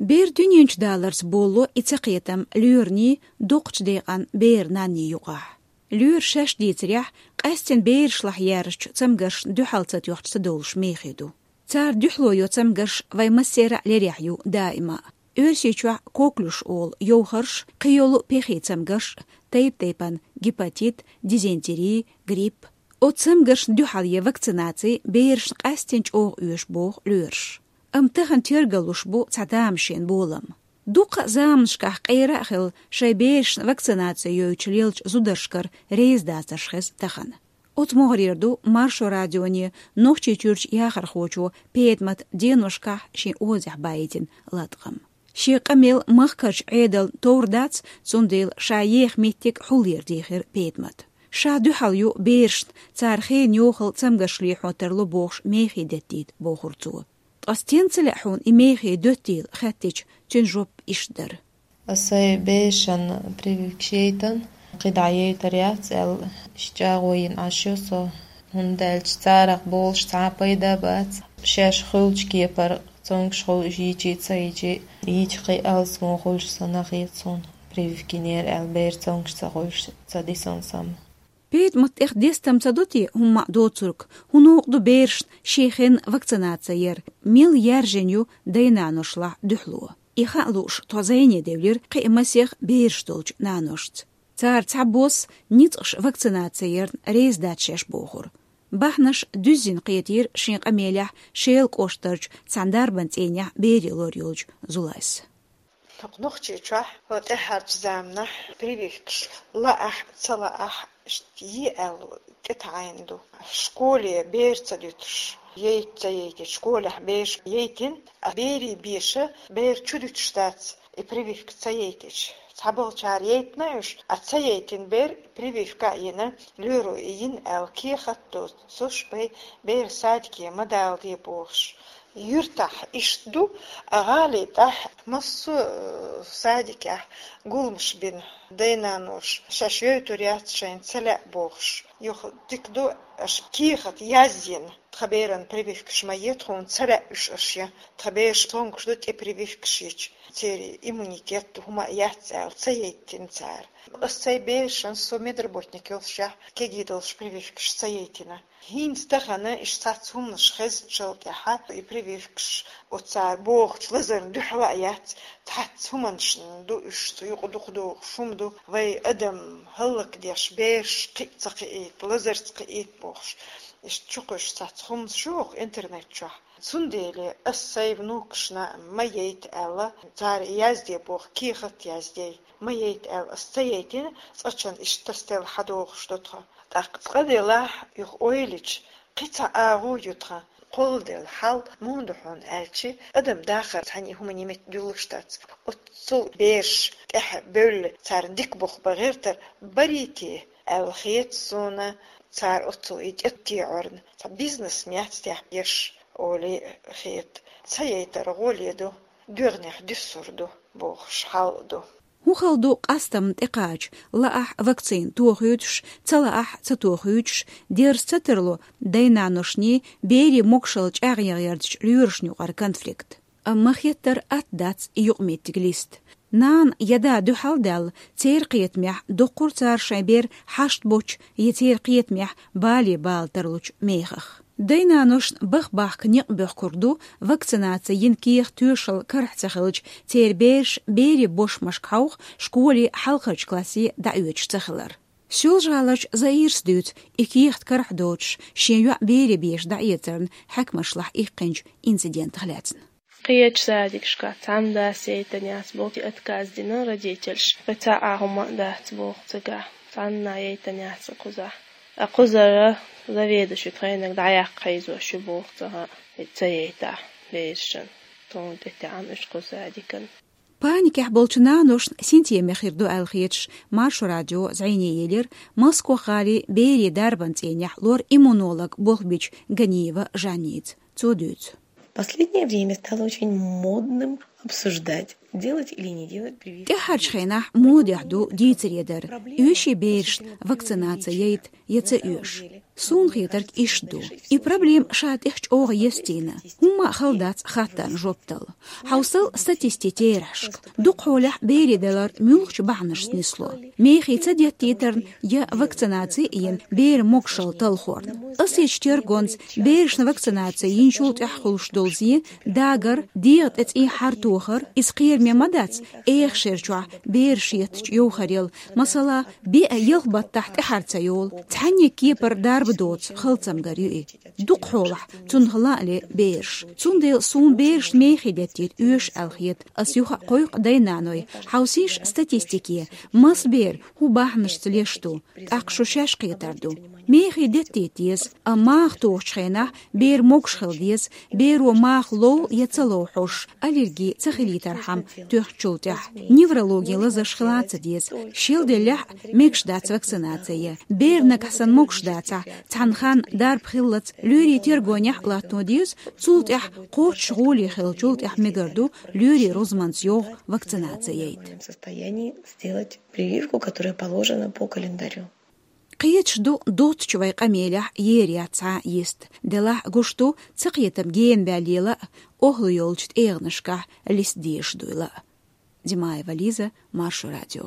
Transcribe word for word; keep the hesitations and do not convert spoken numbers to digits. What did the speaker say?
Бер дуьнен чу даларца болло и цакхетам лоьрашний, дукхачу декъан бер-нанний юкъахь. Лоьраш шаьш дийцарехь, къаьстина берашлахь яьржачу цамгаршна дуьхьал ца тоьхча ца довлуш мехий ду. Цара дуьхьало йо цамгарш вайн массеран а лерехь ю даима. Оьрсийчохь коклюш олу йовхарш, кхийолу пехий цамгарш, тайп-тайпана гепатит, дизентери, грипп. Оцу цамгаршна дуьхьал е вакцинаций берашна къаьстина чӀогӀа оьшу боху лоьраш. Амма тахана тергалуш бу цхьа тамашийна болам. Дуккха а заманашкахь къера а хилла, шайн берашна вакцинаций йойтуш лелачу зударшкара реза дацарш хеза тахана. Оцу могӀарера ду Маршо радионе Нохчийчуьрчу яхархочо Петамата деношкахь шен озехь баийтина латкъам. Шен къамел махкарчу Ӏедална товр дац, цундела ша еха меттиг хьулъера дийхира Петамата. Ша дуьхьал ю берашна, цара хенан йохалла цамгарш лехьо тарло бохуш мехий деттийта, бохура цо. Ткъа стенна ца лаьа хьуна и мехий доьттийла хаьттича, цуьнан жоп иштта дара. Аса сайн берашна прививкаш яйтина, кхидӀа яйтар яц аьлла, иштта чӀагӀо йина Ӏаш ю со, хӀунда аьлча царах болуш цхьа а пайда бац. Шаьш хуьлучу кепара цомгуш хуьлу уьш йичи а ца йичи, йича кхин а алсамо хуьлуш санна хета суна. Прививка йинера аьлла бер цомгуш ца хуьлуш ца дисна сама. Петамат тӀех дестам ца до те хӀумма а доцург, хӀун новкъа ду берашна шен хенна вакцинаци яр, мел яьржина ю дай-наношлахь дуьхьало. И хаа лууш тхо зӀене девлира кхин а масех бераш долчу наношца. Цара цхьабосса ницкъаш вакцинаци ярна реза дац шаьш бохура. Бахьанаш дуьззина кхетийра шен къамелехь Шелан кӀоштарчу цхьана дарбан цӀийнехь бере лор йолчу Зулайс. Нохчийчохь хӀо тӀаьхьарчу заманахь прививкаш лаахь а, ца лаахь а, иштта йи аьлла тӀетаӀийна ду. Школе бер ца дуьтуш, яйта ца яйтича, школехь бераш яйтина, а берийн беша бер чу дуьтуш дац, и прививка ца яйтича. Цхьаболчара яйтина уьш, а ца яйтина бер прививка а йина, лоьро и йина аьлла кехат доцуш бен бер садике ма даладе бохуш. Юьртахь иштта ду, а гӀали тӀехь массо а, э, садикехь гуламаш бина, дай-наноша шаьш йойтур яц шайна ца лаьа бохуш. Юха дика ду, аша кехат яздина, тхан беран прививкаш ма е тхуна, ца лаьа уьш аша, тхан бераш цомгуш ду тӀе прививкаш йича, церан иммунитет хӀума а яц аьлла, ца яйтина цара. Аса сайн берашна, со медработник йолушехь, кегий долуш прививкаш ца яйтина. ХӀинца тахана иштта цхьацца хӀуманаш хезначул тӀаьхьа и прививкаш оцара бохучу лазарна дуьхьал а яц, цхьацца хӀуманашна ду уьш, цу юкъа дукха догӀуш хӀума ду, вай адам хӀаллакдеш, бераш кхин а ца кхиийта, лазарца кхиийта бохуш. Иштта чукхуьйсуш цхьацца хӀуманаш ю хӀокху интернет чохь. Цундела аса сайн внукашна ма яйта аьлла, цара язде боху, кехат яздей. Ма яйта аьлла, аса ца яйтина, цкъачунна иштта тасаделла хьадогӀуш ду тхо. ТӀаккха цкъа делахь, юха ойла йича, кхин цхьа агӀо ю тхан, кхолладелла хьал муха ду хьуна аьлча, адам дахар цхьаьна и хӀума нимат дуьллуш дац. Оццул бераш тӀаьхьа бевлла, царна дика бух бан гӀертар барий те аьлла хета суна, цара оццул и тӀетте Ӏорна. Цхьа бизнес ма яц техь еш, олий хета. Ца яйтар гӀоле ду, доьгӀнех дуьссур ду бохуш хьал а ду. ХӀун хала ду къастамна тӀекхача, лаахь вакцина тохуьйтуш, ца лаахь ца тохуьйтуш, дерза ца тарло дай-наношний, берийн могушалла чӀагӀъяртачу лоьрашна юкъара конфликт. Амма хеттар атта дац и юкъаметтиг листа. Нана я да дуьхьал а даьлла, церан кхетамехь доккхура цара шайн бер хьашт боцчу я церан кхетамехь бале бала тарлучу мехах. Дай-наношна баха бахка некъ боьхкург ду вакцинаци йина кехат тоьшалла карахь ца хилча, церан бераш берийн бошмашка хьовха школе хьалхарчу классе дӀаоьцуш ца хилар. Соьлжа-ГӀаларчу Заирас дуьйцу и кехат карахь доцуш, шен йоӀ берийн беша дӀаэцарна хьаькамашлахь иккхинчу инцидентах лаьцна. Кхечу садикашкахь цхьана дас яйтина яц боху, отказ дина родительша. Вай цхьа а хӀума а дац боху цигахь. Цхьанна а яйтина яц кхузахь. А кхузара заведующий тхайниг дӀаяккха хьийзош ю боху цигахь, и ца яйтахь берашна. Тхуна тӀетаьӀна уьш кху садикан. Паникехь болчу наношна синтеме хир ду аьлла хеташ, Маршо радио зӀене елира Москох-гӀалин берийн дарбан цӀийнехь лор-иммунолог болх бичу Ганиева Жанница. Цо дуьйцу. Последнее время стало очень модным обсуждать Делать или не делать прививки? ТӀехьарчу хенахь модехь ду дийцаре дар, оьший берашна вакцинаци яйта я ца оьшу. Суна хетарг иштта ду. И проблема ша тӀехь чӀогӀа естийна. ХӀумма а хала дац хаттарна жоп дала. Хьовсал статистикин терахьашка. Дукхахьолехь берийн далар муьлхачу бахьанашца нисло. Мехий ца деттийтарна я вакцинаци йина беран могушалла талхорна. Оьрсийчоьнан тергонца берашна вакцинаци йинчул тӀаьхьа хуьлуш долу зе, дагар, дегӀан тӀе цӀий хьартохар, иза кхераме ма дац, эха шера чохь бераш етташ йовхарал, масала, беа ялх баттахь тӀаьхьара ца йолу, цхьанне кепара дарба доцу хала цамгар ю и. Дукхахьолахь цунах лан а ле бераш. Цундела суна берашна мехий деттийта оьшу аьлла хета, ас юха а кхойкху дай-наной, хьовсийша статистике, маса бер хӀун бахьанашца леш ду, тӀаккха шу шаьш кхетар ду. Мехий деттийта деза, амма маха тухучу хенахь бер могуш хила деза, беро маха лов я ца лов хьожуш, аллерги ца хилийтархьама тоьхначул тӀаьхьа. Неврологин лазарш хила а ца деза. Шел деллехь а мегаш дац вакцинаци. Бер нагахь санна могуш дацахь, цхьана ханна дарба хиллалц, лоьрийн тергонехь а латтано деза, цул тӀаьхьа кхоччуш гӀоле хиллачул тӀаьхьа мегар ду лоьрийн рузбанца йовха вакцинаци яйта. В состоянии сделать прививку, которая положена по календарю. Кхеташ ду доцучу вай къамелехь ер яц цхьа а йист. Делахь а гуш ду, цакхетам гена баьллийла а, охӀла йолчу тӀегӀанашкахь листа дезаш дуйла а. Димаева Лиза, Маршо радио.